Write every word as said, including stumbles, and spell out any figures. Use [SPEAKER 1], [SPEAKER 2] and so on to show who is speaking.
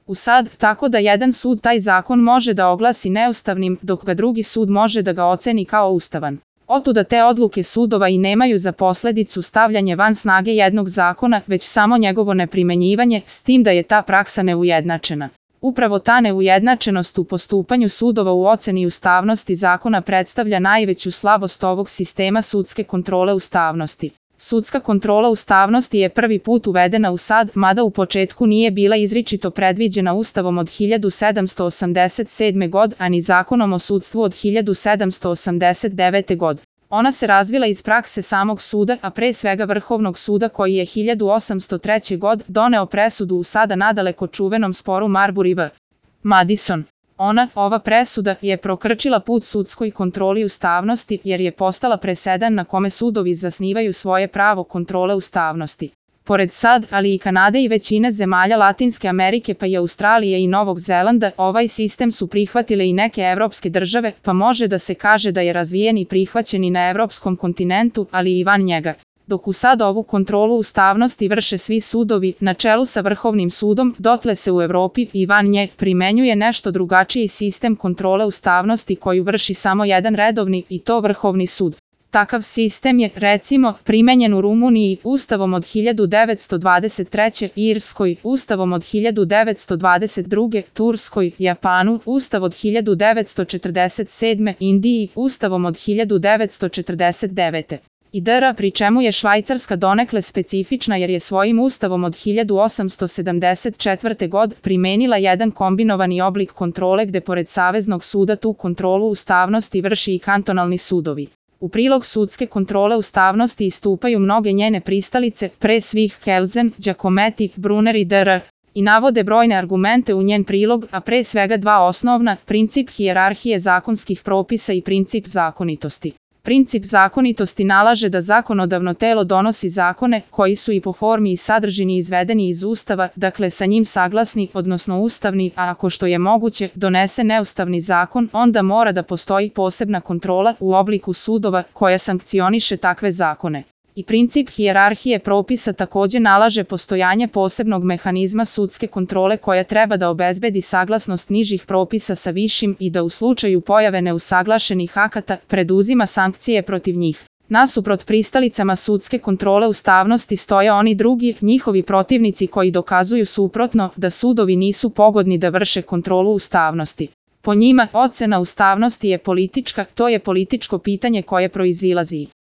[SPEAKER 1] U sad, tako da jedan sud taj zakon može da oglasi neustavnim, dok ga drugi sud može da ga oceni kao ustavan. Otuda te odluke sudova i nemaju za posledicu stavljanje van snage jednog zakona, već samo njegovo neprimenjivanje, s tim da je ta praksa neujednačena. Upravo ta neujednačenost u postupanju sudova u oceni ustavnosti zakona predstavlja najveću slabost ovog sistema sudske kontrole ustavnosti. Sudska kontrola ustavnosti je prvi put uvedena u sad, mada u početku nije bila izričito predviđena Ustavom od hiljadu sedamsto osamdeset sedme. godine, a ni Zakonom o sudstvu od hiljadu sedamsto osamdeset devete. godine. Ona se razvila iz prakse samog suda, a pre svega Vrhovnog suda koji je hiljadu osamsto treće. godine doneo presudu u sada nadaleko čuvenom sporu Marbury v. Madison. Ona, ova presuda, je prokrčila put sudskoj kontroli ustavnosti jer je postala presedan na kome sudovi zasnivaju svoje pravo kontrole ustavnosti. Pored sad, ali i Kanade i većine zemalja Latinske Amerike pa i Australije i Novog Zelanda, ovaj sistem su prihvatile i neke evropske države, pa može da se kaže da je razvijen i prihvaćen i na evropskom kontinentu, ali i van njega. Dok u sad ovu kontrolu ustavnosti vrše svi sudovi, na čelu sa Vrhovnim sudom, dotle se u Evropi i van nje primenjuje nešto drugačiji sistem kontrole ustavnosti koju vrši samo jedan redovni, i to Vrhovni sud. Takav sistem je, recimo, primenjen u Rumuniji Ustavom od hiljadu devetsto dvadeset treće. Irskoj, Ustavom od hiljadu devetsto dvadeset druge. Turskoj, Japanu, Ustav od hiljadu devetsto četrdeset sedme. Indiji, Ustavom od hiljadu devetsto četrdeset devete. i dr. pri čemu je Švajcarska donekle specifična jer je svojim ustavom od hiljadu osamsto sedamdeset četvrte. godine primenila jedan kombinovani oblik kontrole gde pored Saveznog suda tu kontrolu ustavnosti vrši i kantonalni sudovi. U prilog sudske kontrole ustavnosti istupaju mnoge njene pristalice, pre svih Kelsen, Giacometti, Brunner i dr. i navode brojne argumente u njen prilog, a pre svega dva osnovna, princip hijerarhije zakonskih propisa i princip zakonitosti. Princip zakonitosti nalaže da zakonodavno telo donosi zakone koji su i po formi i sadržini izvedeni iz Ustava, dakle sa njim saglasni, odnosno ustavni, a ako što je moguće donese neustavni zakon, onda mora da postoji posebna kontrola u obliku sudova koja sankcioniše takve zakone. I princip hijerarhije propisa takođe nalaže postojanje posebnog mehanizma sudske kontrole koja treba da obezbedi saglasnost nižih propisa sa višim i da u slučaju pojave neusaglašenih akata preduzima sankcije protiv njih. Nasuprot pristalicama sudske kontrole ustavnosti stoje oni drugi, njihovi protivnici koji dokazuju suprotno da sudovi nisu pogodni da vrše kontrolu ustavnosti. Po njima, ocena ustavnosti je politička, to je političko pitanje koje proizilazi